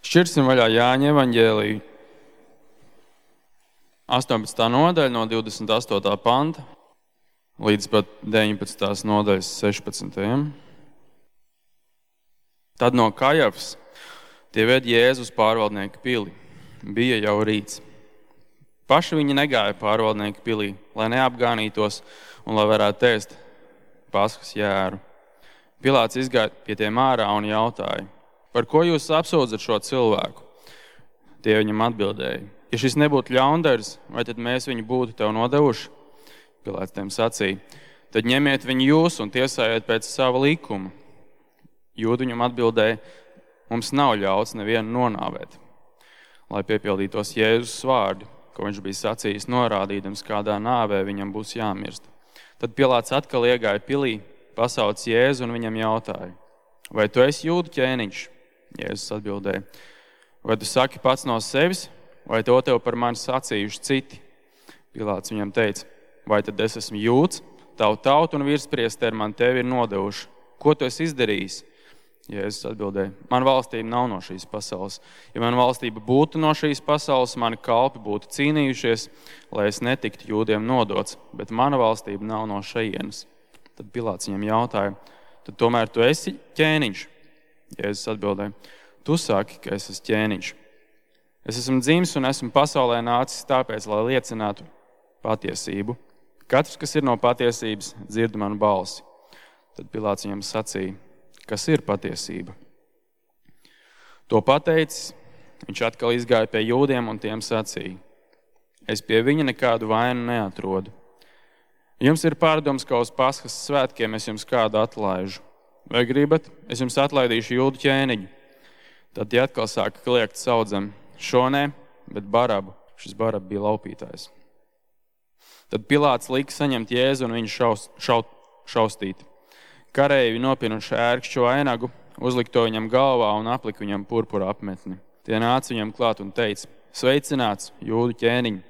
Šķirsim vaļā Jāņa evaņģēliju 18. nodaļa no 28. panta līdz pat 19. nodaļas 16. Tad no Kajafas tie ved Jēzus pārvaldnieku pili. Bija jau rīts. Paši viņi negāja pārvaldnieku pilī, lai neapgānītos un lai varētu ēst Paskas jēru. Pilāts izgāja pie tiem ārā un jautāja: par ko jūs apsūdzat šo cilvēku? Tie viņam atbildēja: ja šis nebūtu ļaundaris, vai tad mēs viņu būtu tev nodevuši? Pilāts tiem sacīja: tad ņemiet viņu jūs un tiesājiet pēc sava likuma. Jūdi viņam atbildēja: mums nav ļauts nevienu nonāvēt. Lai piepildītos Jēzus vārdi, ko viņš bija sacījis, norādīdams, kādā nāvē viņam būs jāmirst. Tad Pilāts atkal iegāja pilī, pasauc Jēzu un viņam jautāja: vai tu esi jūdu ķēniņš? Jēzus atbildēja: vai tu saki pats no sevis, vai to tev par mani sacījuši citi? Pilāts viņam teica: vai tad es esmu jūds? Tavu tautu un virspriesteri man tevi ir nodevuši. Ko tu esi izdarījis? Jēzus atbildēja: man valstība nav no šīs pasaules. Ja man valstība būtu no šīs pasaules, mani kalpi būtu cīnījušies, lai es netiktu jūdiem nodots, bet mana valstība nav no šejienes. Tad Pilāts viņam jautāja: tad tomēr tu esi ķēniņš? Jēzus atbildēja: tu saki, ka es esmu ķēniņš. Es esmu dzimis un esmu pasaulē nācis tāpēc, lai liecinātu patiesību. Katrs, kas ir no patiesības, dzird manu balsi. Tad Pilāts viņam sacīja: kas ir patiesība? To pateicis, viņš atkal izgāja pie jūdiem un tiem sacīja: es pie viņa nekādu vainu neatrodu. Jums ir pārdoms, ka uz Paskas svētkiem es jums kādu atlaižu. Vai gribat, es jums atlaidīšu jūdu ķēniņu? Tad tie atkal sāka kliegt saudzam: šo nē, bet Barabu. Šis Baraba bija laupītājs. Tad Pilāts lika saņemt Jēzu un viņu šaustīt. Kareivji nopinuši ērkšķu vainagu, uzlika to viņam galvā un aplika viņam purpura apmetni. Tie nāca viņam klāt un teica: sveicināts, jūdu ķēniņ,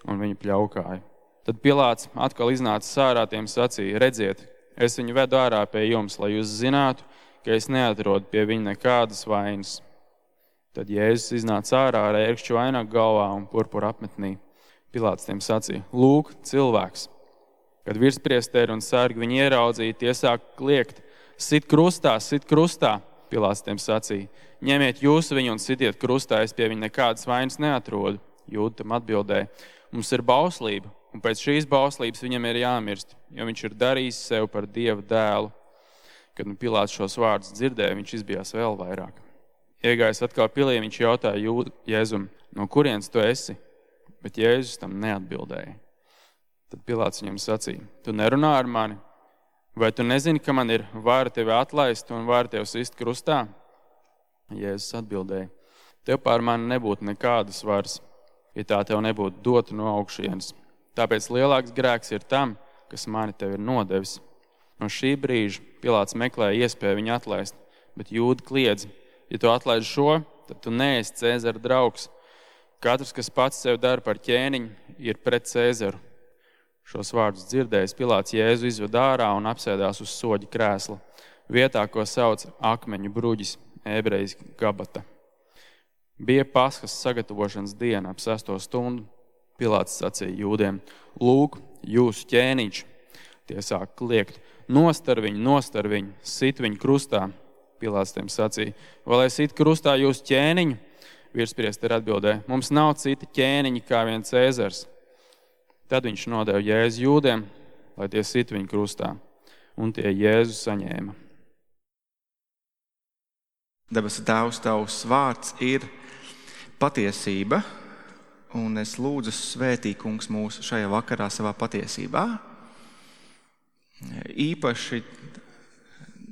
un viņu pļaukāja. Tad Pilāts atkal iznāca ārā, tiem sacīja: redziet, es viņu vedu ārā pie jums, lai jūs zinātu, ka es neatrodu pie viņa nekādas vainas. Tad Jēzus iznāca ārā ar ērkšķu vainagu galvā un purpura apmetnī. Pilāts tiem sacīja: lūk, cilvēks. Kad virspriesteri un sargi viņu ieraudzīja, tie sāk kliegt: sit krustā, sit krustā. Pilāts tiem sacīja: ņemiet jūs viņu un sitiet krustā, es pie viņa nekādas vainas neatrodu. Jūdi tam atbildēja: mums ir bauslība, un pēc šīs bauslības viņam ir jāmirst, jo viņš ir darījis sev par Dieva dēlu. Kad Pilāts šos vārdus dzirdēja, viņš izbijās vēl vairāk. Iegājis atkal pilī, viņš jautāja Jēzum: no kurienes tu esi? Bet Jēzus tam neatbildēja. Tad Pilāts viņam sacīja: tu nerunā ar mani? Vai tu nezini, ka man ir vara tevi atlaist un vara tevi sist krustā? Jēzus atbildēja: tev pār mani nebūtu nekādas varas, ja tā tev nebūtu dota no augšienes. Tāpēc lielāks grēks ir tam, kas mani tev ir nodevis. No šī brīža Pilāts meklēja iespēju viņu atlaist, bet jūdi kliedz: ja tu atlaid šo, tad tu neesi Cēzara draugs. Katrs, kas pats sev dara par ķēniņu, ir pret Cēzaru. Šos vārdus dzirdējis, Pilāts Jēzu izved ārā un apsēdās uz soģa krēsla, vietā, ko sauc akmeņu bruģis, ebrejiski Gabata. Bija Paskas sagatavošanas diena ap 6. stundu. Pilāts sacīja jūdiem: lūk, jūsu ķēniņš. Tie sāk kliegt: nostar viņu, sit viņu krustā. Pilāts tiem sacīja: vai lai sit krustā jūsu ķēniņu? Virspriesteri atbildēja: mums nav cita ķēniņa kā vien Cēzars. Tad viņš nodeva Jēzu jūdiem, lai tie sit viņu krustā, un tie Jēzu saņēma. Debesu Tēvs, tavs vārds ir patiesība, un es lūdzu svētī, kungs, mūs šajā vakarā savā patiesībā. Īpaši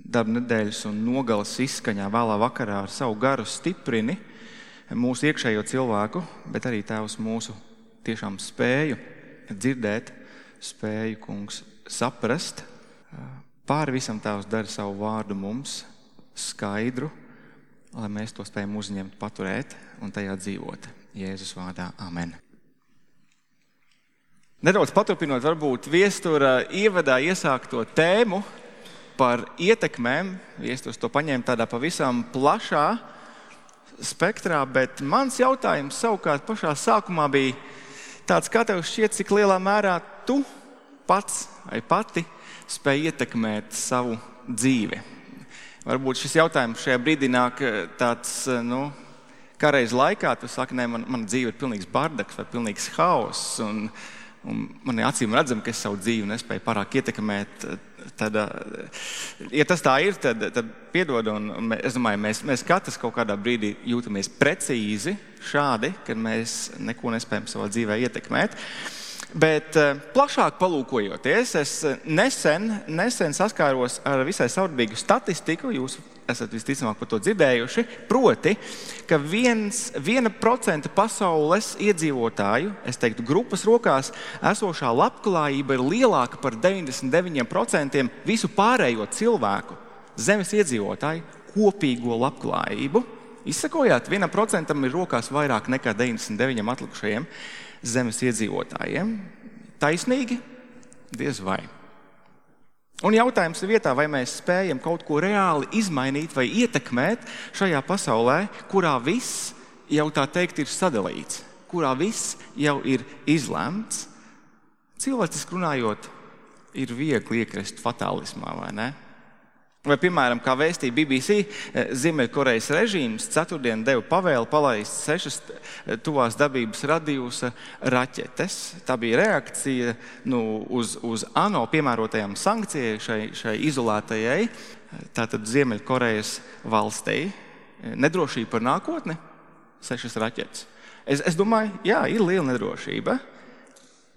darba nedēļas un nogalas izskaņā vēlā vakarā ar savu garu stiprini mūsu iekšējo cilvēku, bet arī Tēvs mūsu tiešām spēju dzirdēt, spēju, kungs, saprast. Pāri visam Tēvs dara savu vārdu mums skaidru, lai mēs to spējam uzņemt, paturēt un tajā dzīvot. Jēzus vārdā. Amen. Nedaudz paturpinot varbūt viestura ievadā iesākto tēmu par ietekmēm, viesturs to paņēma tādā pavisam plašā spektrā, bet mans jautājums savukārt pašā sākumā bija tāds, kā tev šķiet, cik lielā mērā tu pats vai pati spēj ietekmēt savu dzīvi. Varbūt šis jautājums šajā brīdī nāk tāds, kā reiz laikā, tu saki, nē, mana dzīve ir pilnīgs bardaks vai pilnīgs haoss, un man ir acīm redzam, ka es savu dzīvi nespēju pārāk ietekmēt. Tad, ja tas tā ir, tad piedod, un es domāju, mēs katrs kaut kādā brīdī jūtamies precīzi šādi, kad mēs neko nespējam savā dzīvē ietekmēt. Bet plašāk palūkojoties, es nesen saskāros ar visai saudabīgu statistiku, jūs esat visticamāk par to dzirdējuši, proti, ka 1% pasaules iedzīvotāju, es teiktu grupas rokās, esošā labklājība ir lielāka par 99% visu pārējo cilvēku, zemes iedzīvotāju kopīgo labklājību. Izsakojāt, 1% ir rokās vairāk nekā 99 atlikušajiem zemes iedzīvotājiem. Taisnīgi? Diez vai. Un jautājums ir vietā, vai mēs spējam kaut ko reāli izmainīt vai ietekmēt šajā pasaulē, kurā viss jau tā teikt ir sadalīts, kurā viss jau ir izlemts. Cilvēciski runājot, ir viegli iekrist fatālismā, vai ne? Vai, piemēram, kā vēstīja BBC, Ziemeļkorejas režīms ceturtdien deva pavēli palaist 6 tuvās dabības radiusa raķetes. Tā bija reakcija uz ANO piemērotajām sankcijai šai izolētajai, tātad Ziemeļkorejas valstī. Nedrošība par nākotni, 6 raķetes. Es domāju, jā, ir liela nedrošība.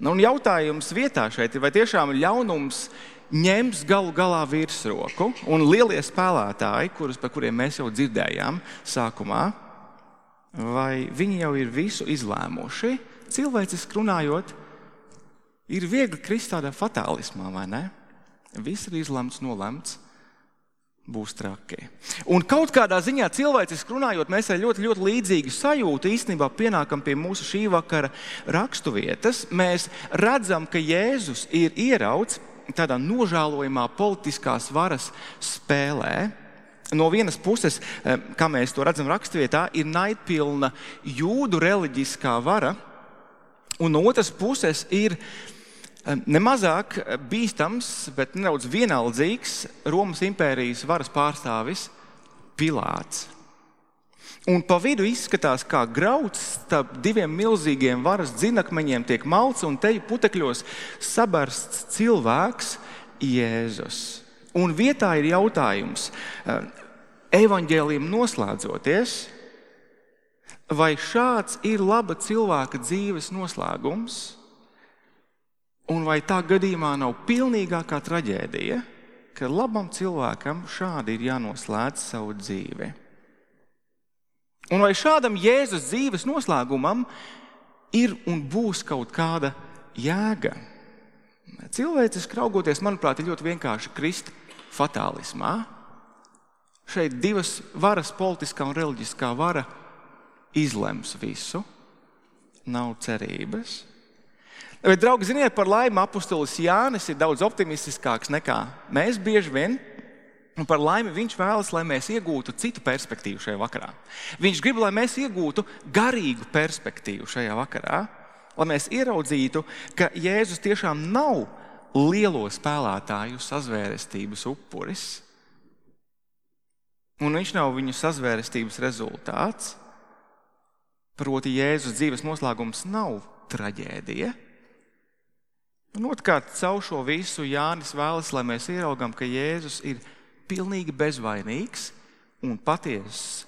Un jautājums vietā šeit ir, vai tiešām ļaunums ņems galu galā virsroku, un lielie spēlētāji, par kuriem mēs jau dzirdējām sākumā, vai viņi jau ir visu izlēmuši? Cilvēciski runājot, ir viegli krist tādā fatālismā, vai ne? Viss ir izlemts, nolemts, būs traki. Un kaut kādā ziņā cilvēciski runājot, mēs ar ļoti, ļoti līdzīgu sajūtu īstenībā pienākam pie mūsu šī vakara raksturvietas. Mēs redzam, ka Jēzus ir ierauts tādā nožēlojamā politiskās varas spēlē. No vienas puses, kā mēs to redzam raksturvietā, ir naidpilna jūdu reliģiskā vara, un no otras puses ir nemazāk bīstams, bet nedaudz vienaldzīgs Romas impērijas varas pārstāvis Pilāts. Un pa vidu izskatās, kā grauds starp diviem milzīgiem varas dzinakmeņiem tiek malts, un teju putekļos sabarsts cilvēks Jēzus. Un vietā ir jautājums, evaņģēlijam noslēdzoties, vai šāds ir laba cilvēka dzīves noslēgums, un vai tā gadījumā nav pilnīgākā traģēdija, ka labam cilvēkam šādi ir jānoslēdz savu dzīvi. Un vai šādam Jēzus dzīves noslēgumam ir un būs kaut kāda jēga? Cilvēciski raugoties, manuprāt, ir ļoti vienkārši krist fatālismā. Šeit divas varas, politiskā un reliģiskā vara, izlems visu. Nav cerības. Bet, draugi, ziniet, par laimi apustulis Jānis ir daudz optimistiskāks nekā mēs bieži vien. Un par laimi viņš vēlas, lai mēs iegūtu citu perspektīvu šajā vakarā. Viņš grib, lai mēs iegūtu garīgu perspektīvu šajā vakarā, lai mēs ieraudzītu, ka Jēzus tiešām nav lielo spēlētāju sazvērestības upuris, un viņš nav viņu sazvērestības rezultāts. Proti Jēzus dzīves noslēgums nav traģēdija. Un otrkārt, caur šo visu Jānis vēlas, lai mēs ieraugam, ka Jēzus ir pilnīgi bezvainīgs un patiess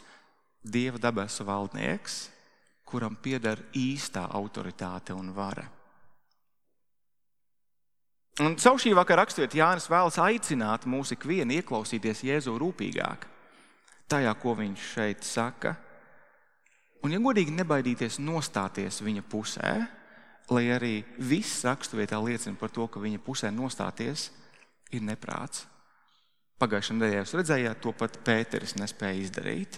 Dieva debesu valdnieks, kuram pieder īstā autoritāte un vara. Un caur šī vakara raksturvieta Jānis vēlas aicināt mūs ikvienu ieklausīties Jēzu rūpīgāk tajā, ko viņš šeit saka. Un, ja godīgi, nebaidīties nostāties viņa pusē, lai arī viss raksturvietā liecina par to, ka viņa pusē nostāties ir neprāts. Pagājušajā nedēļā jūs redzējāt, to pat Pēteris nespēja izdarīt.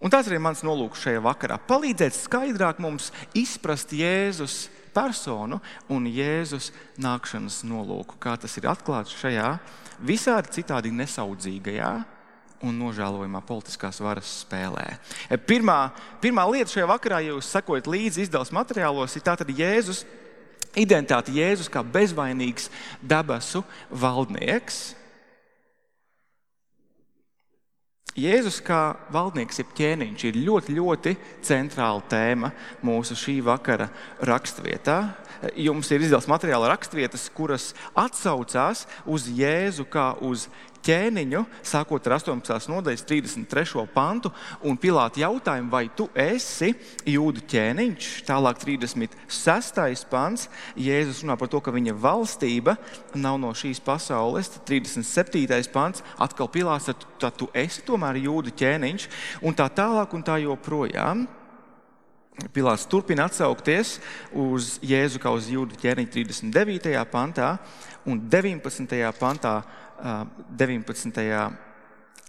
Un tāds arī mans nolūks šajā vakarā. Palīdzēt skaidrāk mums izprast Jēzus personu un Jēzus nākšanas nolūku, kā tas ir atklāts šajā visādi citādi nesaudzīgajā un nožēlojumā politiskās varas spēlē. Pirmā lieta šajā vakarā, ja jūs sekojat līdzi izdevuma materiālos, ir tātad Jēzus identitāte, Jēzus kā bezvainīgs debesu valdnieks. Jēzus kā valdnieks, jeb ķēniņš, ir ļoti, ļoti centrāla tēma mūsu šī vakara rakstvietā. Jums ir izdevums materiāla rakstvietas, kuras atsaucās uz Jēzu kā uz ķēniņu, sākot ar 18. nodaļas 33. pantu, un Pilāta jautājumu, vai tu esi Jūdu ķēniņš? Tālāk 36. pants, Jēzus runā par to, ka viņa valstība nav no šīs pasaules. 37. pants, atkal Pilāts, tad tu esi tomēr Jūdu ķēniņš, un tā tālāk un tā joprojām. Pilāts turpina atsaukties uz Jēzu kā uz Jūdu ķēniņu 39. pantā un 19. pantā, 19.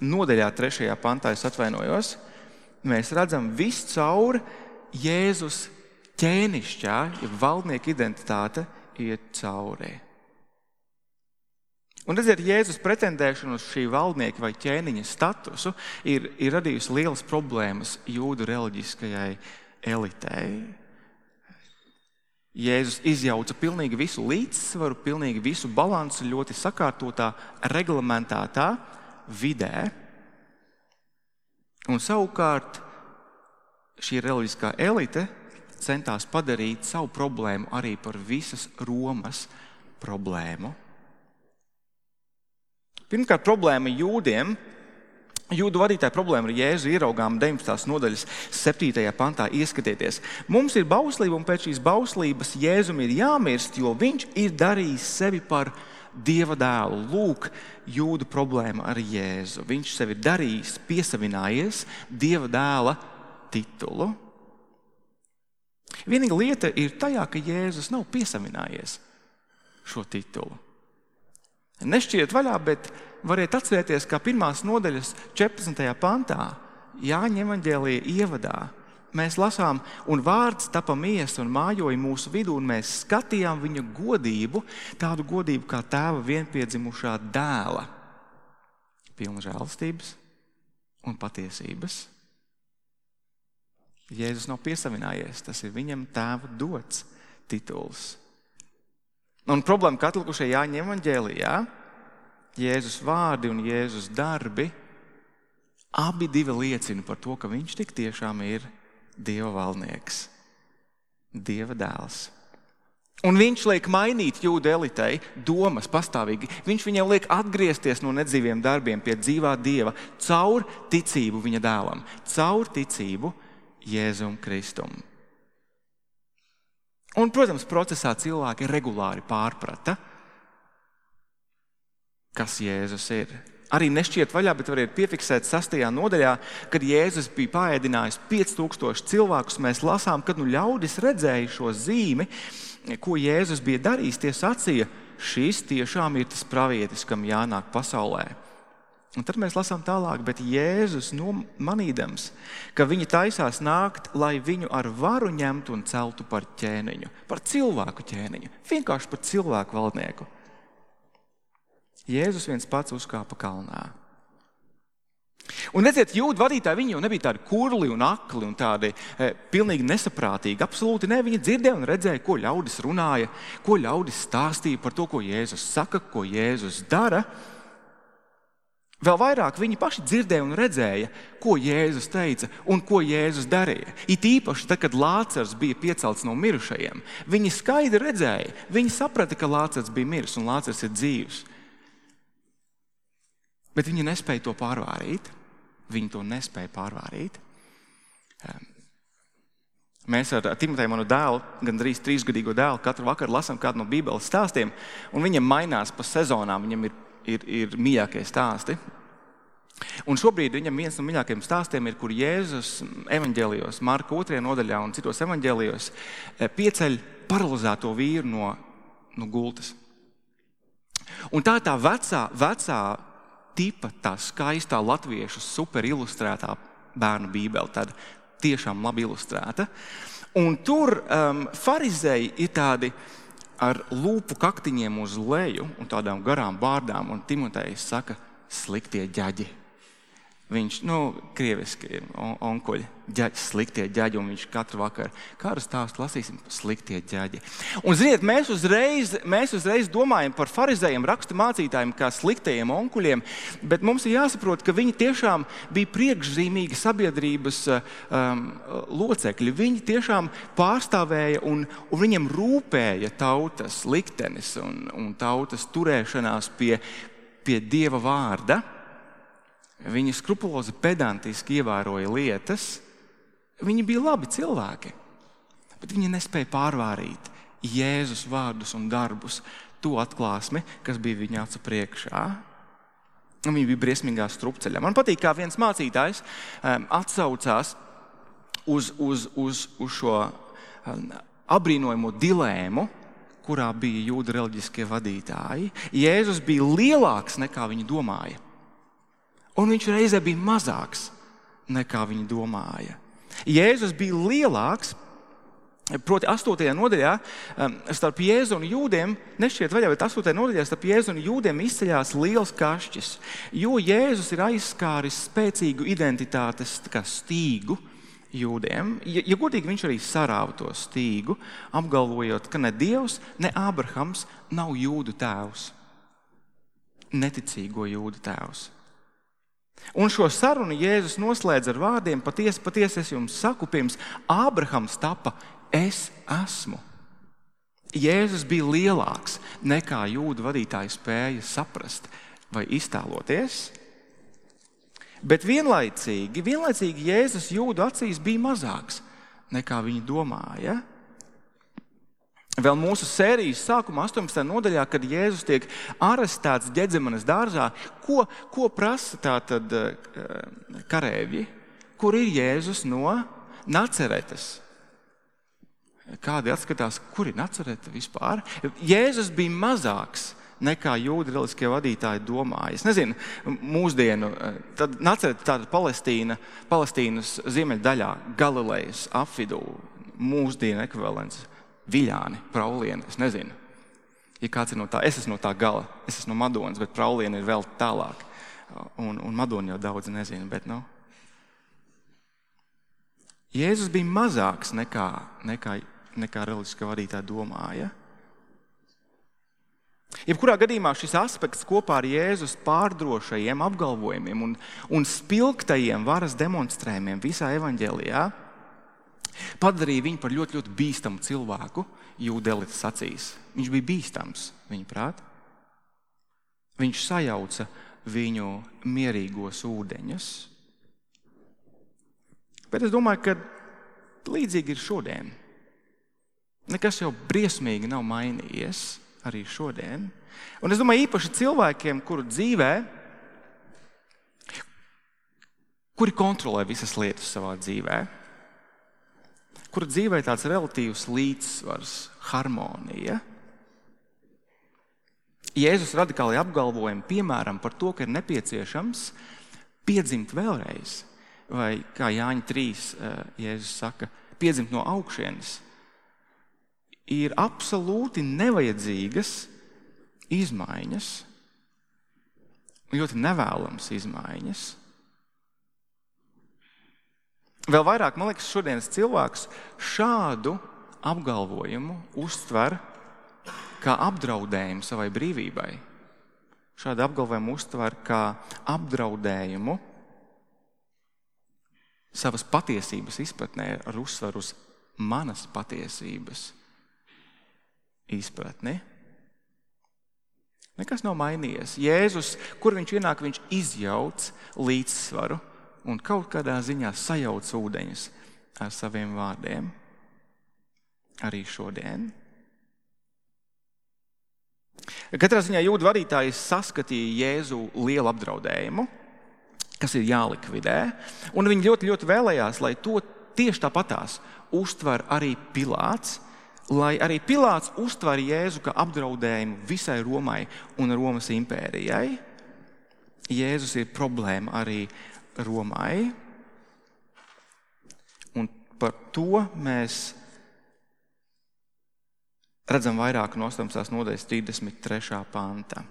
nodaļā 3. pantā, es atvainojos, mēs redzam viscaur Jēzus ķēnišķā, ja valdnieka identitāte iet cauri. Un redziet, Jēzus pretendēšana uz šī valdnieka vai ķēniņa statusu ir radījusi lielas problēmas jūdu reliģiskajai elitei. Jēzus izjauca pilnīgi visu līdzsvaru, pilnīgi visu balansu ļoti sakārtotā, reglamentētā vidē. Un savukārt šī reliģiskā elite centās padarīt savu problēmu arī par visas Romas problēmu. Pirmkārt, problēma jūdiem. Jūdu vadītāja problēma ar Jēzu ieraugām 19. nodaļas 7. pantā. Ieskatieties, mums ir bauslība, un pēc šīs bauslības Jēzum ir jāmirst, jo viņš ir darījis sevi par Dieva dēlu. Lūk, jūdu problēma ar Jēzu. Viņš sevi ir darījis, piesavinājies Dieva dēla titulu. Vienīga lieta ir tajā, ka Jēzus nav piesavinājies šo titulu. Nešķiet vaļā, bet variet atcerēties, kā 1. nodaļas 14. pantā, Jāņa evaņģēlija ievadā, mēs lasām, un vārds tapa miesa un mājoja mūsu vidū, un mēs skatījām viņa godību, tādu godību kā tēva vienpiedzimušā dēla, pilna žēlastības un patiesības. Jēzus nav piesavinājies, tas ir viņam tēva dots tituls. Un problēma, ka atlikušajā Jāņa evaņģēlijā Jēzus vārdi un Jēzus darbi abi divi liecina par to, ka viņš tik tiešām ir Dieva valdnieks, Dieva dēls. Un viņš liek mainīt jūdu elitei domas pastāvīgi. Viņš viņiem liek atgriezties no nedzīviem darbiem pie dzīvā Dieva caur ticību viņa dēlam, caur ticību Jēzum Kristum. Un, protams, procesā cilvēki regulāri pārprata, kas Jēzus ir. Arī nešķiet vaļā, bet variet piefiksēt 6. nodaļā, kad Jēzus bija paēdinājis 5000 cilvēkus, mēs lasām, kad ļaudis redzēja šo zīmi, ko Jēzus bija darījis, tie sacīja, šis tiešām ir tas pravietis, kam jānāk pasaulē. Un tad mēs lasām tālāk, bet Jēzus manīdams, ka viņi taisās nākt, lai viņu ar varu ņemtu un celtu par ķēniņu, par cilvēku ķēniņu, vienkārši par cilvēku valdnieku. Jēzus viens pats uzkāpa kalnā. Un redziet, jūdu vadītāji, viņi jau nebija tādi kurli un akli un tādi pilnīgi nesaprātīgi. Absolūti ne, viņi dzirdēja un redzēja, ko ļaudis runāja, ko ļaudis stāstīja par to, ko Jēzus saka, ko Jēzus dara. Vēl vairāk viņi paši dzirdēja un redzēja, ko Jēzus teica un ko Jēzus darīja. It īpaši tad, kad Lācars bija piecelts no mirušajiem. Viņi skaidri redzēja, viņi saprata, ka Lācars bija miris un Lācars ir dzīvs. Bet viņi nespēja to pārvārīt. Viņi to nespēja pārvārīt. Mēs ar Timoteju, manu dēlu, gandrīz 3-gadīgo dēlu, katru vakaru lasām kādu no Bībeles stāstiem, un viņam mainās pa sezonām, viņam ir mīļākie stāsti. Un šobrīd viņam viens no mīļākajiem stāstiem ir, kur Jēzus evaņģēlijos, Marka 2. nodaļā un citos evaņģēlijos pieceļ paralizēto vīru no gultas. Un tā ir tā vecā tipa, tā skaistā latviešu super ilustrētā bērnu bībele, tāda tiešām labi ilustrēta. Un tur farizēji ir tādi ar lūpu kaktiņiem uz leju un tādām garām bārdām, un Timotejs saka, sliktie ģaģi. Viņš, krieviski onkuļi, sliktie ģaģi, un viņš katru vakaru kādu stāstu lasīsim, sliktie ģaģi. Un, ziniet, mēs uzreiz domājam par farizējiem, rakstu mācītājiem, kā sliktajiem onkuļiem, bet mums ir jāsaprot, ka viņi tiešām bija priekšzīmīgi sabiedrības locekļi. Viņi tiešām pārstāvēja un viņiem rūpēja tautas liktenis un tautas turēšanās pie Dieva vārda. Viņi skrupulozi pedantiski ievēroja lietas. Viņi bija labi cilvēki, bet viņi nespēja pārvārīt Jēzus vārdus un darbus, to atklāsmi, kas bija viņa acu priekšā. Viņi bija briesmīgā strupceļā. Man patīk, kā viens mācītājs atsaucās uz šo apbrīnojamo dilēmu, kurā bija jūdu reliģiskie vadītāji. Jēzus bija lielāks nekā viņi domāja. Un viņš reizē bija mazāks nekā viņi domāja. Jēzus bija lielāks, proti 8. nodaļā starp Jēzu un jūdiem, nešķiet vaļā, bet 8. nodaļā starp Jēzu un jūdiem izceļās liels kašķis, jo Jēzus ir aizskāris spēcīgu identitātes stīgu jūdiem. Ja godīgi, viņš arī sarāva to stīgu, apgalvojot, ka ne Dievs, ne Ābrahams nav jūdu tēvs, neticīgo jūdu tēvs. Un šo sarunu Jēzus noslēdz ar vārdiem: patiesi, patiesi es jums saku, pirms Ābrahams tapa, es esmu. Jēzus bija lielāks nekā jūdu vadītāji spēja saprast vai iztēloties. Bet vienlaicīgi Jēzus jūdu acīs bija mazāks nekā viņi domāja. Vēl mūsu sērijas sākumā 18. nodaļā, kad Jēzus tiek arestēts Ģedzemanes dārzā, ko prasa tātad karēvji? Kur ir Jēzus no Naceretes? Kādi atskatās, kur ir Nacerete vispār? Jēzus bija mazāks nekā jūdu reliģiskie vadītāji domāja. Es nezinu, mūsdienu, tad Nacerete tāda Palestīnas ziemeļdaļā, Galilejas apvidū, mūsdienu ekvivalents. Viļāni, Praulieni, es nezinu. Ja kāds ir no tā, es esmu no tā gala, es esmu no Madonas, bet Praulieni ir vēl tālāk. Un Madonu jau daudz nezinu, bet Jēzus bija mazāks nekā reliģiskā vadītāja domāja. Jebkurā gadījumā šis aspekts kopā ar Jēzus pārdrošajiem apgalvojumiem un spilgtajiem varas demonstrējumiem visā evaņģēlijā padarīja viņu par ļoti, ļoti bīstamu cilvēku jūdu elites acīs. Viņš bija bīstams, viņa prāt. Viņš sajauca viņu mierīgos ūdeņus. Bet es domāju, ka līdzīgi ir šodien. Nekas jau briesmīgi nav mainījies arī šodien. Un es domāju īpaši cilvēkiem, kuru dzīvē, kuri kontrolē visas lietas savā dzīvē, kura dzīvē tāds relatīvs līdzsvars, harmonija. Jēzus radikāli apgalvojumi, piemēram, par to, ka ir nepieciešams piedzimt vēlreiz, vai kā Jāņa 3, Jēzus saka, piedzimt no augšienes, ir absolūti nevajadzīgas izmaiņas, ļoti nevēlamas izmaiņas. Vēl vairāk, man liekas, šodienas cilvēks šādu apgalvojumu uztver kā apdraudējumu savai brīvībai. Šādu apgalvojumu uztver kā apdraudējumu savas patiesības izpratnē ar uzsvaru uz manas patiesības izpratni. Nekas nav mainījies. Jēzus, kur viņš ienāk, viņš izjauc līdzsvaru un kaut kādā ziņā sajauc ūdeņus ar saviem vārdiem. Arī šodien. Katrā ziņā jūdu vadītāji saskatīja Jēzu lielu apdraudējumu, kas ir jālikvidē, un viņi ļoti, ļoti vēlējās, lai to tieši tāpatās uztver arī Pilāts, lai arī Pilāts uztver Jēzu kā apdraudējumu visai Romai un Romas impērijai. Jēzus ir problēma arī Romai, un par to mēs redzam vairāk no 18. nodaļas 33. panta.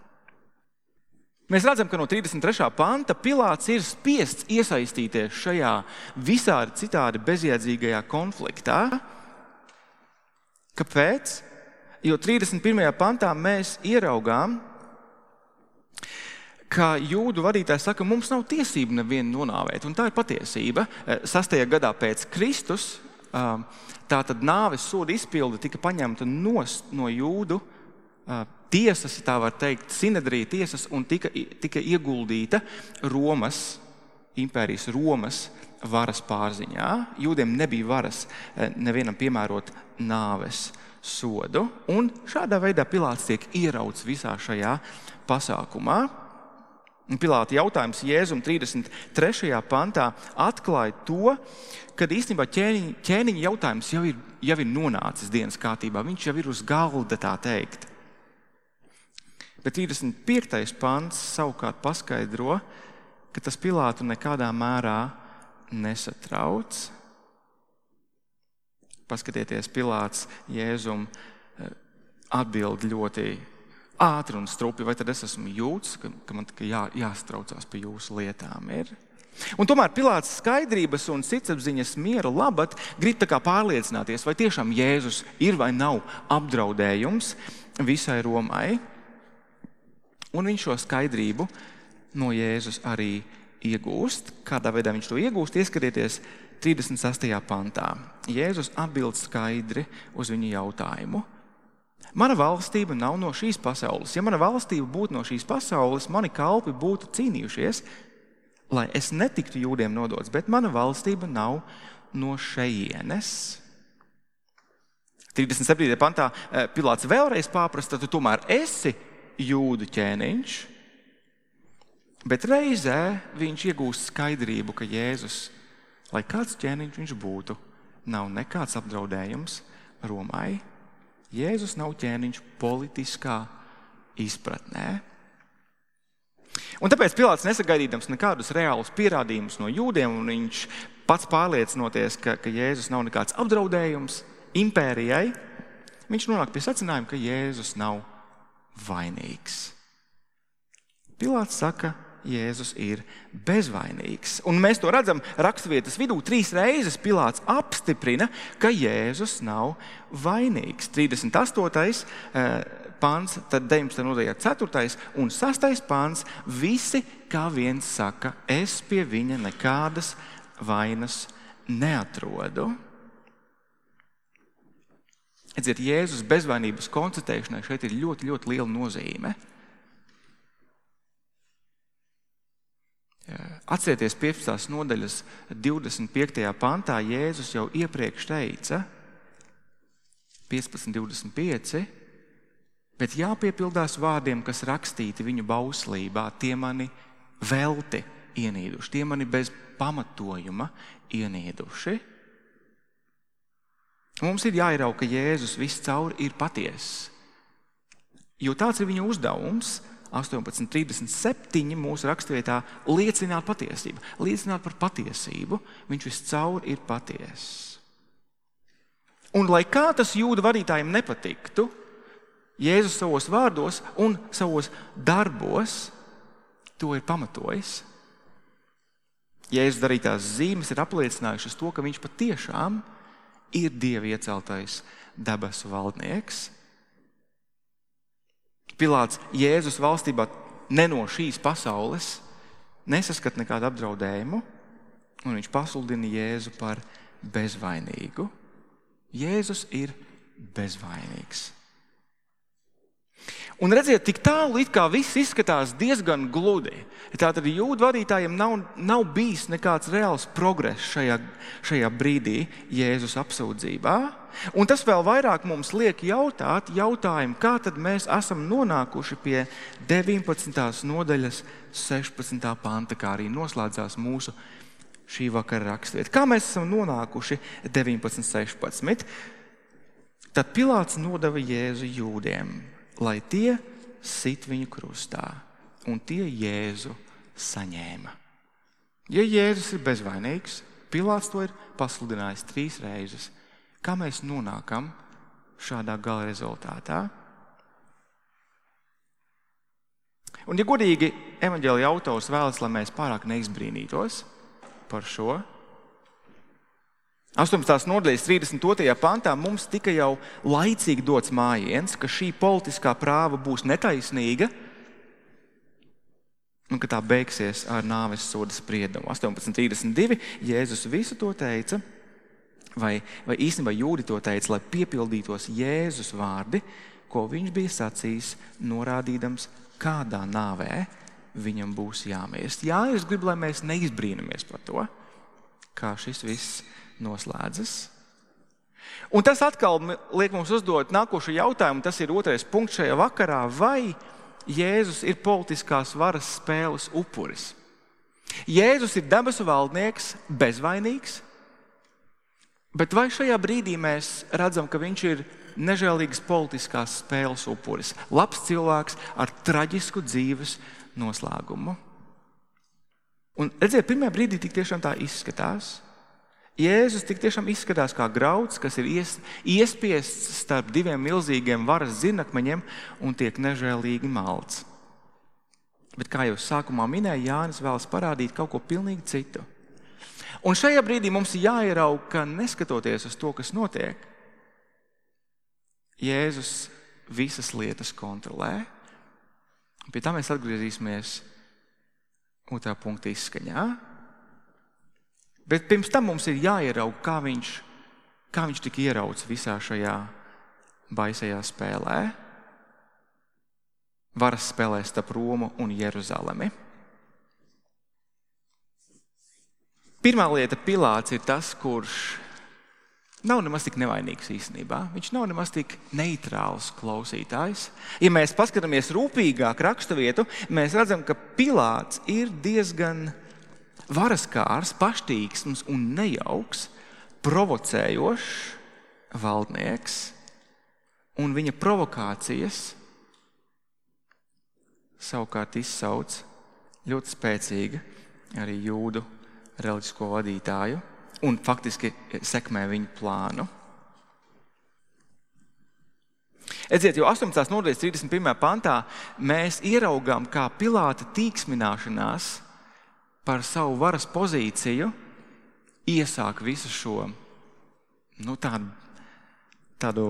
Mēs redzam, ka no 33. panta Pilāts ir spiests iesaistīties šajā visādi citādi bezjēdzīgajā konfliktā. Kāpēc? Jo 31. pantā mēs ieraugām, ka jūdu vadītājs saka, mums nav tiesība nevienu nonāvēt, un tā ir patiesība. 6. gadā pēc Kristus tātad nāves soda izpilde tika paņemta no jūdu tiesas, tā var teikt, Sinedrija tiesas, un tika ieguldīta Romas, impērijas Romas varas pārziņā. Jūdiem nebija varas nevienam piemērot nāves sodu, un šādā veidā Pilāts tiek ierauts visā šajā pasākumā. Pilāta jautājums Jēzum 33. pantā atklāja to, kad īstenībā ķēniņa jautājums jau ir nonācis dienas kārtībā. Viņš jau ir uz galda, tā teikt. Bet 35. pants savukārt paskaidro, ka tas Pilātu nekādā mērā nesatrauc. Paskatieties, Pilāts Jēzum atbild ļoti ātri un strupi, vai tad es esmu jūds, ka man tikai jāstraucās pie jūsu lietām ir. Un tomēr Pilāts skaidrības un sirdsapziņas miera labad grib tā kā pārliecināties, vai tiešām Jēzus ir vai nav apdraudējums visai Romai. Un viņš šo skaidrību no Jēzus arī iegūst. Kādā veidā viņš to iegūst? Ieskatieties 36. pantā. Jēzus atbild skaidri uz viņu jautājumu. Mana valstība nav no šīs pasaules. Ja mana valstība būtu no šīs pasaules, mani kalpi būtu cīnījušies, lai es netiktu jūdiem nodots, bet mana valstība nav no šejienes. 37. pantā Pilāts vēlreiz pārprasta, tu tomēr esi jūdu ķēniņš, bet reizē viņš iegūst skaidrību, ka Jēzus, lai kāds ķēniņš viņš būtu, nav nekāds apdraudējums Romai. Jēzus nav ķēniņš politiskā izpratnē. Un tāpēc Pilāts nesagaidīdams nekādus reālus pierādījumus no jūdiem, un viņš pats pārliecinoties, ka Jēzus nav nekāds apdraudējums impērijai, viņš nonāk pie secinājuma, ka Jēzus nav vainīgs. Pilāts saka, Jēzus ir bezvainīgs. Un mēs to redzam raksturvietas vidū. 3 reizes Pilāts apstiprina, ka Jēzus nav vainīgs. 38. pants, tad 19. nodaļā 4. un 6. pants. Visi kā viens saka, es pie viņa nekādas vainas neatrodu. Redziet, Jēzus bezvainības konstatēšanai šeit ir ļoti, ļoti liela nozīme. Atcerieties 15. nodaļas 25. pantā Jēzus jau iepriekš teica 15.25, bet jāpiepildās vārdiem, kas rakstīti viņu bauslībā, tie mani velti ienīduši, tie mani bez pamatojuma ienīduši. Mums ir jāierauga, ka Jēzus viscaur ir patiess. Jo tāds ir viņa uzdevums, 18.37 mūsu raksturvietā, liecināt patiesību. Liecināt par patiesību, viņš viscaur ir patiess. Un lai kā tas jūdu vadītājiem nepatiktu, Jēzus savos vārdos un savos darbos to ir pamatojis. Jēzus darītās zīmes ir apliecinājušas to, ka viņš patiešām ir Dieva ieceltais debesu valdnieks. Pilāts Jēzus valstībā ne no šīs pasaules nesaskat nekādu apdraudējumu, un viņš pasludina Jēzu par bezvainīgu. Jēzus ir bezvainīgs. Un redziet, tik tālu it kā viss izskatās diezgan gludi. Tātad jūdu vadītājiem nav bijis nekāds reāls progress šajā brīdī Jēzus apsūdzībā. Un tas vēl vairāk mums liek jautāt jautājumu, kā tad mēs esam nonākuši pie 19. nodaļas 16. panta, kā arī noslēdzās mūsu šī vakara rakstvieta. Kā mēs esam nonākuši 19.16? Tad Pilāts nodeva Jēzu jūdiem, lai tie sit viņu krustā, un tie Jēzu saņēma. Ja Jēzus ir bezvainīgs, Pilāts to ir pasludinājis 3 reizes. Kā mēs nonākam šādā gala rezultātā? Un, ja godīgi, evaņģēlija autors vēlas, lai mēs pārāk neizbrīnītos par šo. 18. nodaļas 32. pantā mums tika jau laicīgi dots mājiens, ka šī politiskā prāva būs netaisnīga un ka tā beigsies ar nāves soda spriedumu. 18.32. Jēzus visu to teica, vai īstenībā jūdi to teica, lai piepildītos Jēzus vārdi, ko viņš bija sacījis, norādīdams, kādā nāvē viņam būs jāmirst. Jā, es gribu, lai mēs neizbrīnamies par to, kā šis viss noslēdzas. Un tas atkal liek mums uzdot nākošo jautājumu, tas ir 2. punkts šajā vakarā, vai Jēzus ir politiskās varas spēles upuris? Jēzus ir debesu valdnieks, bezvainīgs, bet vai šajā brīdī mēs redzam, ka viņš ir nežēlīgas politiskās spēles upuris? Labs cilvēks ar traģisku dzīves noslēgumu. Un redziet, pirmajā brīdī tik tiešām tā izskatās. Jēzus tik tiešām izskatās kā grauds, kas ir iespiests starp diviem milzīgiem varas zirnakmeņiem un tiek nežēlīgi malts. Bet kā jau sākumā minēja, Jānis vēlas parādīt kaut ko pilnīgi citu. Un šajā brīdī mums ir jāieraug, ka neskatoties uz to, kas notiek, Jēzus visas lietas kontrolē. Pie tā mēs atgriezīsimies 2. punkta izskaņā. Bet pirms tam mums ir jāieraug, kā viņš tika ierauts visā šajā baisajā spēlē. Varas spēlē starp Romu un Jeruzalemi. Pirmā lieta, Pilāts ir tas, kurš nav nemaz tik nevainīgs īstenībā. Viņš nav nemaz tik neitrāls klausītājs. Ja mēs paskatāmies rūpīgāk raksturvietu, mēs redzam, ka Pilāts ir diezgan varaskārs, paštīgsms un nejauks, provocējošs valdnieks, un viņa provokācijas savukārt izsauc ļoti spēcīgi arī jūdu reliģisko vadītāju un faktiski sekmē viņu plānu. Edziet, jo 18. nodaļas 31. pantā mēs ieraugām, kā Pilāta tīksmināšanās par savu varas pozīciju iesāk visu šo tādu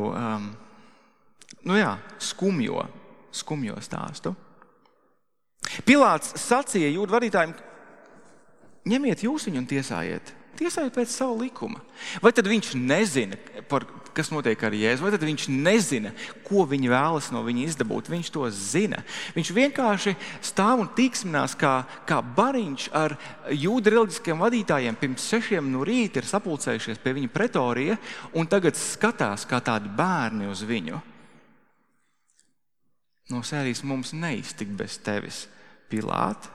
skumjo stāstu. Pilāts sacīja jūdu vadītājiem, ņemiet jūs viņu un tiesājiet pēc savu likuma. Vai tad viņš nezina, kas notiek ar Jēzu? Vai tad viņš nezina, ko viņi vēlas no viņa izdabūt? Viņš to zina. Viņš vienkārši stāv un tīksminās kā bariņš ar jūdu reliģiskiem vadītājiem. Pirms 6 no rīta ir sapulcējušies pie viņa pretorija un tagad skatās kā tādi bērni uz viņu. No sērijas mums neiztikt bez tevis, Pilāti.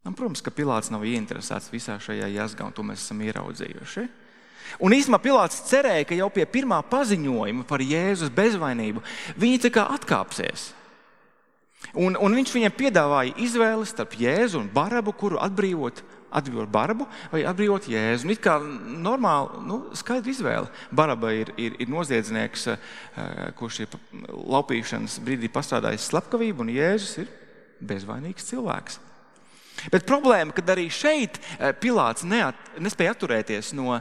Un, protams, ka Pilāts nav ieinteresēts visā šajā jazgā, un to mēs esam ieraudzījuši. Un īstenībā Pilāts cerēja, ka jau pie pirmā paziņojuma par Jēzus bezvainību viņi tā kā atkāpsies. Un viņš viņiem piedāvāja izvēli starp Jēzu un Barabu, kuru atbrīvot Barabu vai atbrīvot Jēzu. Un it kā normāli, skaidra izvēle. Baraba ir noziedznieks, kurš ir laupīšanas brīdī pastrādājis slepkavību, un Jēzus ir bezvainīgs cilvēks. Bet problēma, kad arī šeit Pilāts nespēja atturēties no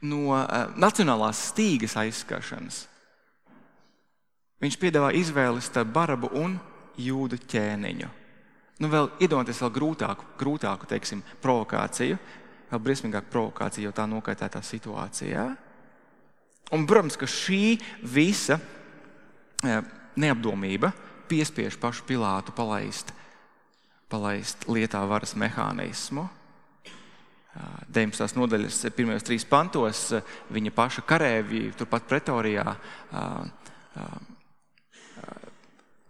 nacionālās stīgas aizskaršanas. Viņš piedāvā izvēli starp Barabu un jūdu ķēniņu. Vēl iedomāties vēl grūtāku, teiksim, provokāciju, vēl briesmīgāku provokāciju, jo tā nokaitētā situācijā. Un, protams, ka šī visa neapdomība piespiež pašu Pilātu palaist lietā varas mehānismu. 19. nodaļas pirmajos 3 pantos viņa paša karēvi turpat pretorijā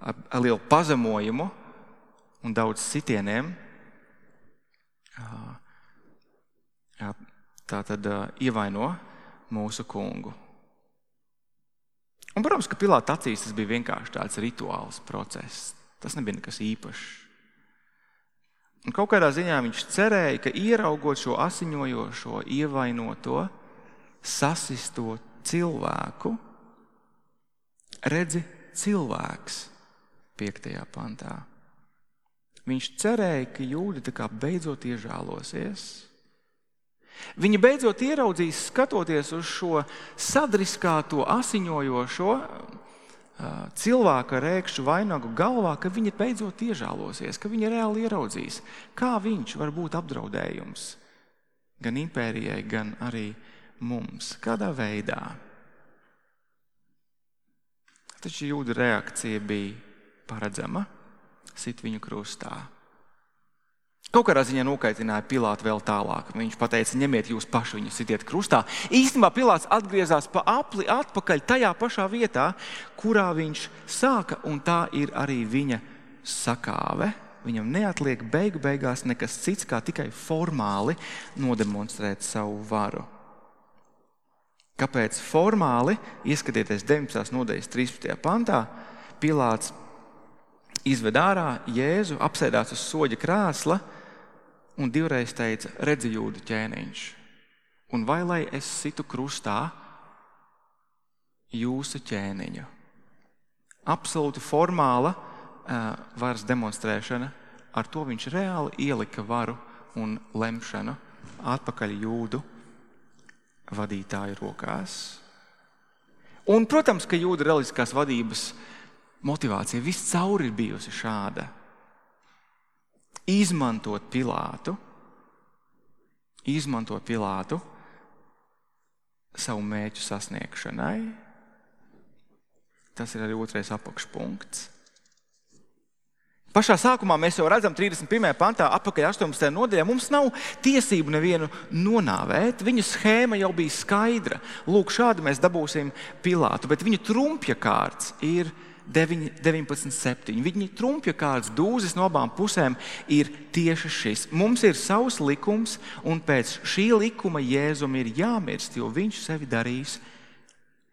ar lielu pazemojumu un daudz sitieniem tātad ievaino mūsu kungu. Un, protams, ka Pilāta acīs tas bija vienkārši tāds rituāls process. Tas nebija nekas īpašs. Un kaut kādā ziņā viņš cerēja, ka ieraugot šo asiņojošo, ievainoto, sasisto cilvēku, redzi cilvēks 5. pantā. Viņš cerēja, ka jūdi tā kā beidzot iežālosies. Viņi beidzot ieraudzīs, skatoties uz šo sadriskāto, asiņojošo cilvēku ar ēkšķu vainagu galvā, ka viņi beidzot iežālosies, ka viņi reāli ieraudzīs, kā viņš var būt apdraudējums gan impērijai, gan arī mums. Kādā veidā? Taču jūdu reakcija bija paredzama, sit viņu krustā. Kaut kādā ziņā nokaitināja Pilātu vēl tālāk. Viņš pateica, ņemiet jūs paši viņu sitiet krustā. Īstenībā Pilāts atgriezās pa apli atpakaļ tajā pašā vietā, kurā viņš sāka, un tā ir arī viņa sakāve. Viņam neatliek beigās nekas cits, kā tikai formāli nodemonstrēt savu varu. Kāpēc formāli? Ieskatieties 19. nodaļas 13. pantā. Pilāts izved ārā Jēzu, apsēdās uz soļa krēsla un divreiz teica, redzi jūdu ķēniņš. Un vai lai es situ krustā jūsu ķēniņu? Absolūti formāla varas demonstrēšana. Ar to viņš reāli ielika varu un lemšanu atpakaļ jūdu vadītāju rokās. Un, protams, ka jūda reliģiskās vadības motivācija viscaur ir bijusi šāda. Izmantot Pilātu savu mērķu sasniegšanai. Tas ir arī 2. apakšpunkts. Pašā sākumā mēs jau redzam 31. pantā, atpakaļ 18. nodaļā, mums nav tiesību nevienu nonāvēt. Viņa schēma jau bija skaidra. Lūk, šādi mēs dabūsim Pilātu, bet viņa trumpja kārts ir 19.7. Viņa trumpja kārts dūzis no abām pusēm ir tieši šis. Mums ir savs likums, un pēc šī likuma Jēzum ir jāmirst, jo viņš sevi darīs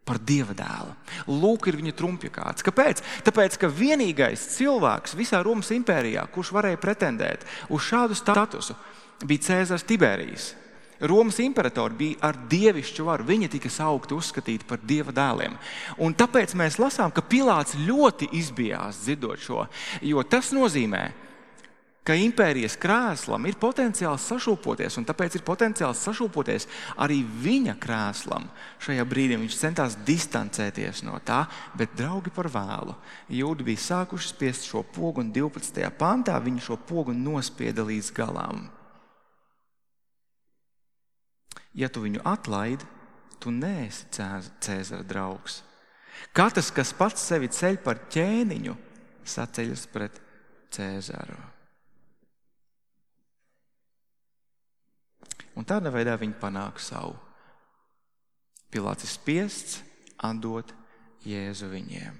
par Dieva dēlu. Lūk, ir viņa trumpja kārts. Kāpēc? Tāpēc, ka vienīgais cilvēks visā Romas impērijā, kurš varēja pretendēt uz šādu statusu, bija Cēzars Tiberijs. Romas imperatori bija ar dievišķu varu. Viņi tika saukti, uzskatīti par Dieva dēliem. Un tāpēc mēs lasām, ka Pilāts ļoti izbijās dzirdot šo, jo tas nozīmē, ka impērijas krēslam ir potenciāls sašūpoties, un tāpēc ir potenciāls sašūpoties arī viņa krēslam. Šajā brīdī viņš centās distancēties no tā, bet draugi par vēlu. Jūdi bija sākuši spiest šo pogu, un 12. pantā viņi šo pogu nospieda līdz galam. Ja tu viņu atlaidi, tu neesi Cēzara draugs. Katrs, kas pats sevi ceļ par ķēniņu, saceļas pret Cēzaru. Un tādā veidā viņi panāk savu. Pilāts ir spiests atdot Jēzu viņiem.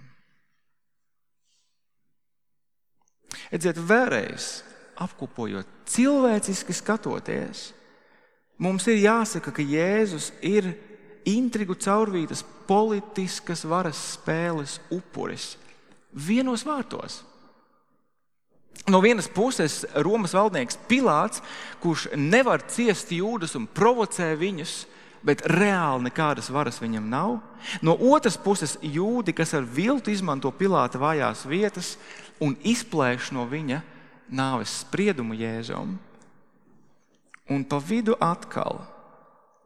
Redziet, vēlreiz apkopojot, cilvēciski skatoties, mums ir jāsaka, ka Jēzus ir intrigu caurvītas politiskas varas spēles upuris. Vienos vārtos. No vienas puses Romas valdnieks Pilāts, kurš nevar ciest jūdus un provocē viņus, bet reāli nekādas varas viņam nav. No otras puses jūdi, kas ar viltu izmanto Pilāta vājās vietas un izplēš no viņa nāves spriedumu Jēzum. Un pa vidu atkal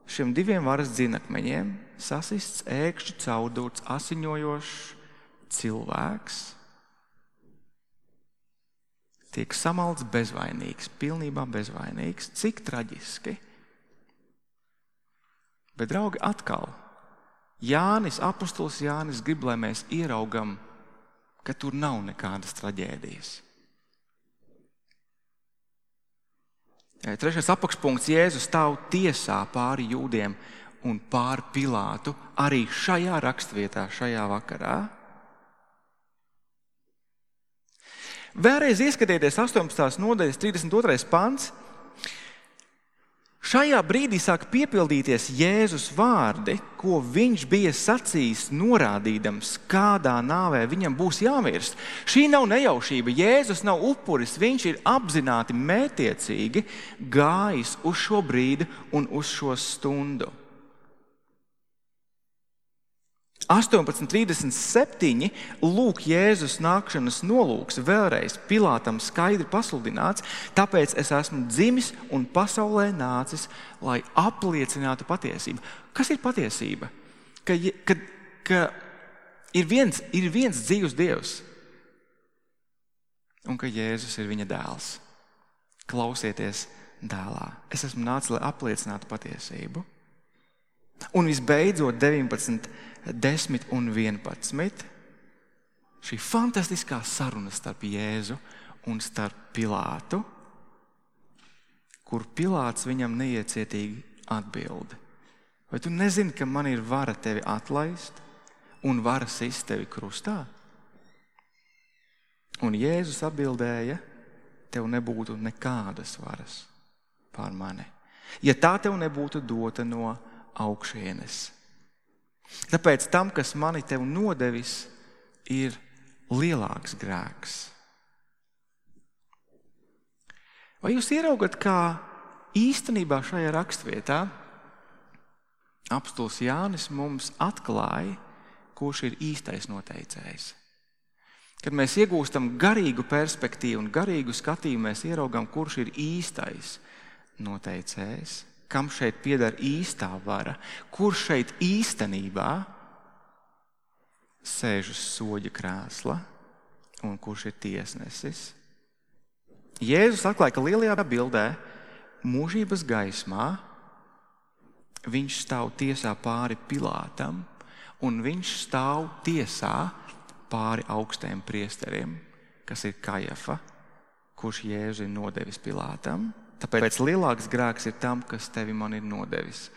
šiem diviem varas dzinakmeņiem sasists ēkšķu caurdūts asiņojošs cilvēks tiek samalts bezvainīgs, pilnībā bezvainīgs. Cik traģiski. Bet, draugi, atkal Jānis, apostols Jānis grib, lai mēs ieraugam, ka tur nav nekādas traģēdijas. 3. apakšpunkts Jēzus stāv tiesā pāri jūdiem un pāri Pilātu arī šajā rakstvietā, šajā vakarā. Vēlreiz ieskatieties 18. nodaļas 32. pants. Šajā brīdī sāk piepildīties Jēzus vārdi, ko viņš bija sacījis, norādīdams, kādā nāvē viņam būs jāmirst. Šī nav nejaušība. Jēzus nav upuris, viņš ir apzināti mērķtiecīgi gājis uz šo brīdi un uz šo stundu. 18:37 lūk Jēzus nākšanas nolūks vēlreiz Pilātam skaidri pasludināts, tāpēc es esmu dzimis un pasaulē nācis, lai apliecinātu patiesību. Kas ir patiesība? Ka ir viens dzīvs Dievs un ka Jēzus ir viņa dēls. Klausieties dēlā. Es esmu nācis, lai apliecinātu patiesību. Un visbeidzot 19, 10 un 11. Šī fantastiskā saruna starp Jēzu un starp Pilātu, kur Pilāts viņam neiecietīgi atbild. Vai tu nezini, ka man ir vara tevi atlaist un vara sist tevi krustā? Un Jēzus atbildēja, tev nebūtu nekādas varas pār mani, ja tā tev nebūtu dota no augšienes. Tāpēc tam, kas mani tev nodevis, ir lielāks grēks. Vai jūs ieraugat, kā īstenībā šajā rakstvietā apostols Jānis mums atklāja, kurš ir īstais noteicējs? Kad mēs iegūstam garīgu perspektīvu un garīgu skatījumu, mēs ieraugam, kurš ir īstais noteicējs, kam šeit pieder īstā vara, kurš šeit īstenībā sēž uz soļa krēsla un kurš ir tiesnesis. Jēzus atklāja, ka lielajā bildē mūžības gaismā viņš stāv tiesā pāri Pilātam un viņš stāv tiesā pāri augstiem priesteriem, kas ir Kajafa, kurš Jēzu ir nodevis Pilātam. Tāpēc lielāks grēks ir tam, kas tevi man ir nodevis.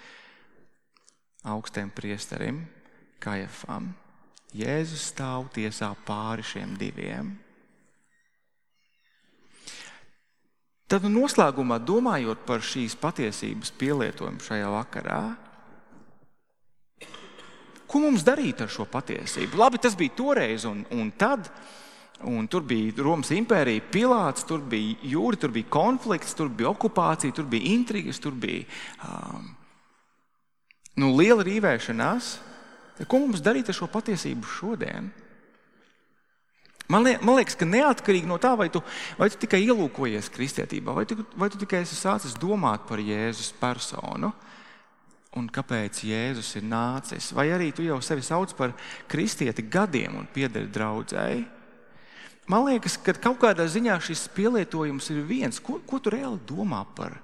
Augstiem priesterim, Kajafam. Jēzus stāv tiesā pāri šiem diviem. Tad noslēgumā, domājot par šīs patiesības pielietojumu šajā vakarā, ko mums darīt ar šo patiesību? Labi, tas bija toreiz un tad. Un tur bija Romas impērija, Pilāts, tur bija jūri, tur bija konflikts, tur bija okupācija, tur bija intrigas, tur bija liela rīvēšanās. Ko mums darīt ar šo patiesību šodien? Man liekas, ka neatkarīgi no tā, vai tu tikai ielūkojies kristietībā, vai tu tikai esi sācis domāt par Jēzus personu un kāpēc Jēzus ir nācis, vai arī tu jau sevi sauc par kristieti gadiem un piederi draudzēji. Man liekas, ka kaut kādā ziņā šis pielietojums ir viens. Ko tu reāli domā par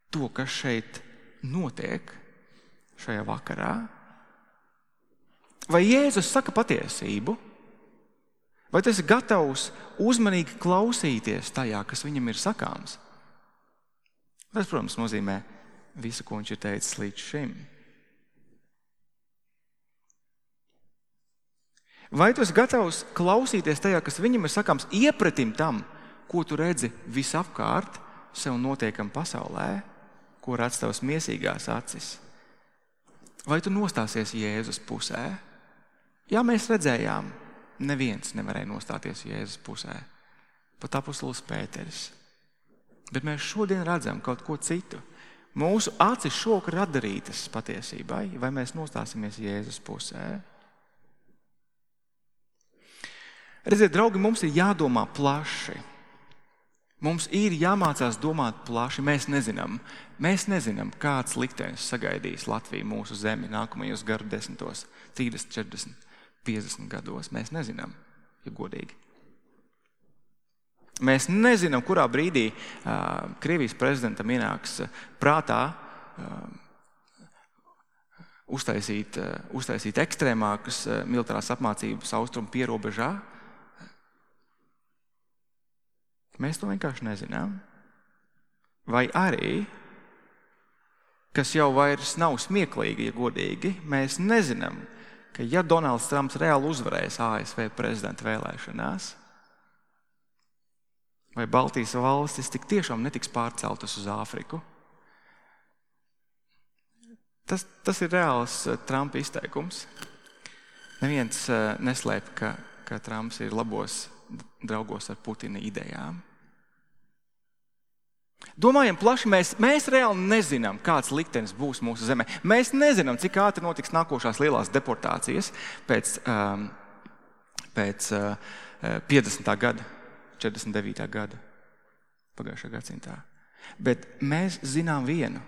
to, kas šeit notiek šajā vakarā? Vai Jēzus saka patiesību? Vai tu esi gatavs uzmanīgi klausīties tajā, kas viņam ir sakāms? Tas, protams, nozīmē visu, ko viņš ir teicis līdz šim. Vai tu esi gatavs klausīties tajā, kas viņam ir sakāms, iepratim tam, ko tu redzi visapkārt sev notiekam pasaulē, ko redz tavas miesīgās acis? Vai tu nostāsies Jēzus pusē? Jā, mēs redzējām, neviens nevarēja nostāties Jēzus pusē, pat apostols Pēteris. Bet mēs šodien redzam kaut ko citu. Mūsu acis šovakar ir atdarītas patiesībai, vai mēs nostāsimies Jēzus pusē? Redziet, draugi, mums ir jādomā plaši. Mums ir jāmācās domāt plaši. Mēs nezinām, kāds liktenis sagaidīs Latviju, mūsu zemi nākamajos gadu desmitos, 30, 40, 50 gados. Mēs nezinām, ja godīgi. Mēs nezinām, kurā brīdī Krievijas prezidentam ienāks prātā uztaisīt ekstrēmākas militārās apmācības austrumu pierobežā. Mēs to vienkārši nezinām. Vai arī, kas jau vairs nav smieklīgi, ja godīgi, mēs nezinām, ka ja Donalds Trumps reāli uzvarēs ASV prezidenta vēlēšanās, vai Baltijas valstis tik tiešām netiks pārceltas uz Āfriku. Tas ir reāls Trumpa izteikums. Neviens neslēp, ka Trumps ir labos draugos ar Putina idejām. Domājam plaši, mēs reāli nezinām, kāds liktenis būs mūsu zemē. Mēs nezinām, cik ātri notiks nākošās lielās deportācijas pēc 50. gada, 49. gada, pagājušā gadsimtā. Bet mēs zinām vienu.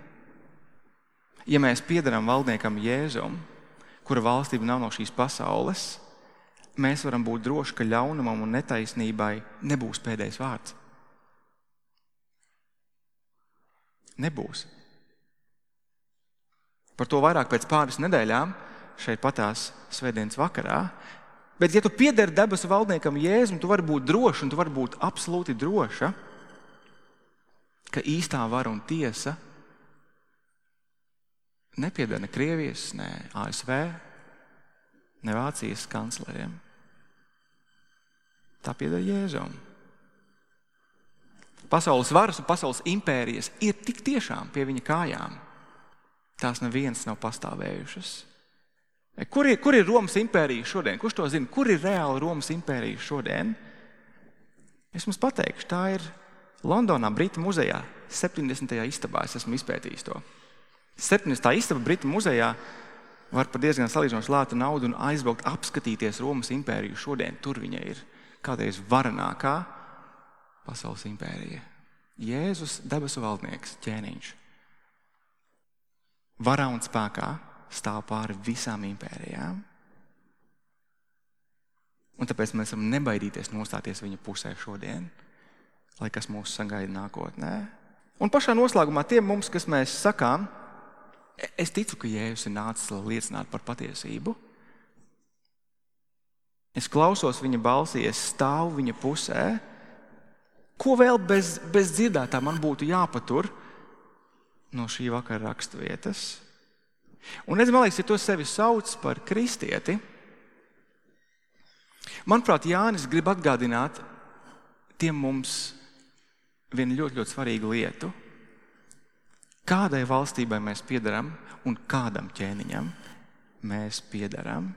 Ja mēs piedaram valdniekam Jēzum, kura valstība nav no šīs pasaules, mēs varam būt droši, ka ļaunumam un netaisnībai nebūs pēdējais vārds. Nebūs. Par to vairāk pēc pāris nedēļām, šeit patās svētdienas vakarā. Bet ja tu piedari debesu valdniekam Jēzum, tu vari būt droši un tu vari būt absolūti droša, ka īstā vara un tiesa nepieder ne Krievijas, ne ASV, ne Vācijas kancleriem. Tā pieder Jēzum. Pasaules varas un pasaules impērijas ir tik tiešām pie viņa kājām. Tās nevienas nav pastāvējušas. Kur ir Romas impērija šodien? Kurš to zina? Kur ir reāli Romas impērija šodien? Es jums pateikšu, tā ir Londonā, Britu muzejā, 70. istabā. Es esmu izpētījis to. 70. istaba Britu muzejā var par diezgan salīdzinoši lētu naudu un aizbraukt apskatīties Romas impēriju šodien. Tur viņa ir kādreiz varenākā pasaules impērija. Jēzus, debesu valdnieks, ķēniņš. Varā un spēkā stāv pāri visām impērijām. Un tāpēc mēs varam nebaidīties nostāties viņa pusē šodien, lai kas mūs sagaida nākotnē. Un pašā noslēgumā tiem mums, kas mēs sakām, es ticu, ka Jēzus ir nācis, lai liecinātu par patiesību. Es klausos viņa balsī, es stāvu viņa pusē. Ko vēl bez dzirdētā man būtu jāpatur no šī vakara raksturvietas? Un redz, man liekas, ja tu sevi sauc par kristieti, manuprāt, Jānis grib atgādināt tiem mums vienu ļoti, ļoti svarīgu lietu. Kādai valstībai mēs piedaram un kādam ķēniņam mēs piedaram?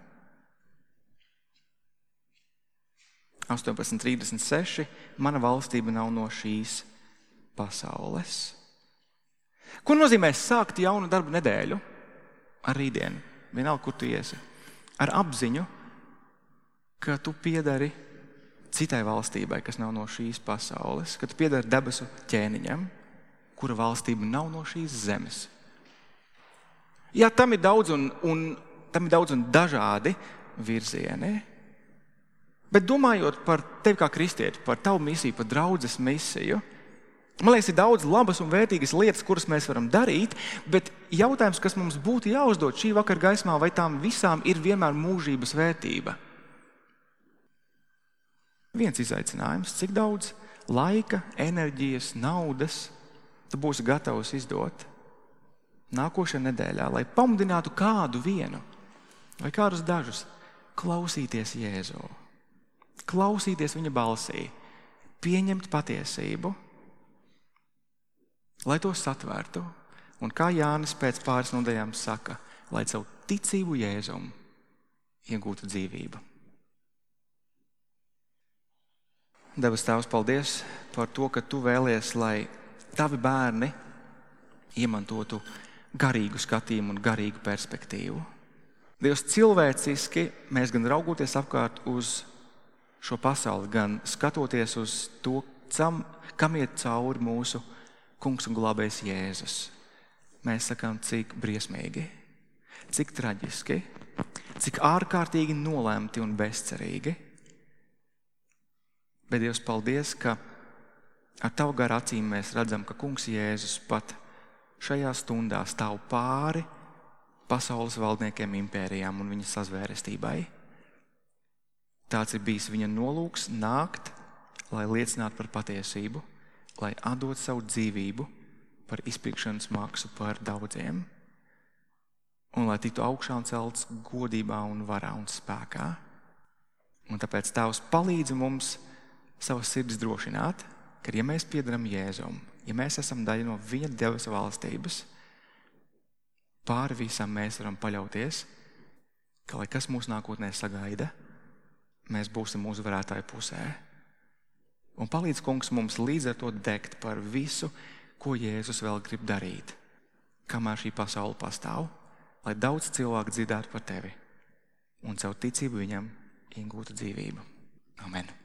18:36. Mana valstība nav no šīs pasaules. Ko nozīmē sākt jaunu darbu nedēļu? Ar rītdienu, vienalga, kur tu iesi. Ar apziņu, ka tu piedari citai valstībai, kas nav no šīs pasaules, ka tu piedari debesu ķēniņam, kura valstība nav no šīs zemes. Jā, tam ir daudz un dažādi virzieni. Bet domājot par tevi kā kristieti, par tavu misiju, par draudzes misiju, man liekas, ir daudz labas un vērtīgas lietas, kuras mēs varam darīt, bet jautājums, kas mums būtu jāuzdod šī vakara gaismā, vai tām visām ir vienmēr mūžības vērtība? Viens izaicinājums, cik daudz laika, enerģijas, naudas tu būsi gatavs izdot nākošajā nedēļā, lai pamudinātu kādu vienu vai kādus dažus klausīties Jēzu. Klausīties viņa balsī, pieņemt patiesību, lai to satvērtu. Un kā Jānis pēc pāris nedēļām saka, lai savu ticību Jēzum iegūtu dzīvību. Debes Tēvs, paldies par to, ka tu vēlies, lai tavi bērni iemantotu garīgu skatījumu un garīgu perspektīvu. Dievs, cilvēciski mēs gan raugoties apkārt uz šo pasauli, gan skatoties uz to, kam iet cauri mūsu kungs un glābējs Jēzus. Mēs sakām, cik briesmīgi, cik traģiski, cik ārkārtīgi nolemti un bezcerīgi. Bet Dievs, paldies, ka ar tavu garu acīm mēs redzam, ka kungs Jēzus pat šajā stundā stāv pāri pasaules valdniekiem, impērijām un viņa sazvērestībai. Tāds ir bijis viņa nolūks nākt, lai liecinātu par patiesību, lai atdot savu dzīvību par izpirkšanas maksu par daudziem, un lai tiktu augšā un celts godībā un varā un spēkā. Un tāpēc Tēvs palīdz mums savas sirdis drošināt, ka ja mēs piedaram Jēzum, ja mēs esam daļa no viņa debesu valstības, pāri visam mēs varam paļauties, ka lai kas mūsu nākotnē sagaida, mēs būsim uzvarētāju pusē. Un palīdz, kungs, mums līdz ar to degt par visu, ko Jēzus vēl grib darīt, kamēr šī pasaule pastāv, lai daudz cilvēku dzirdētu par tevi un caur ticību viņam iegūtu dzīvību. Amen.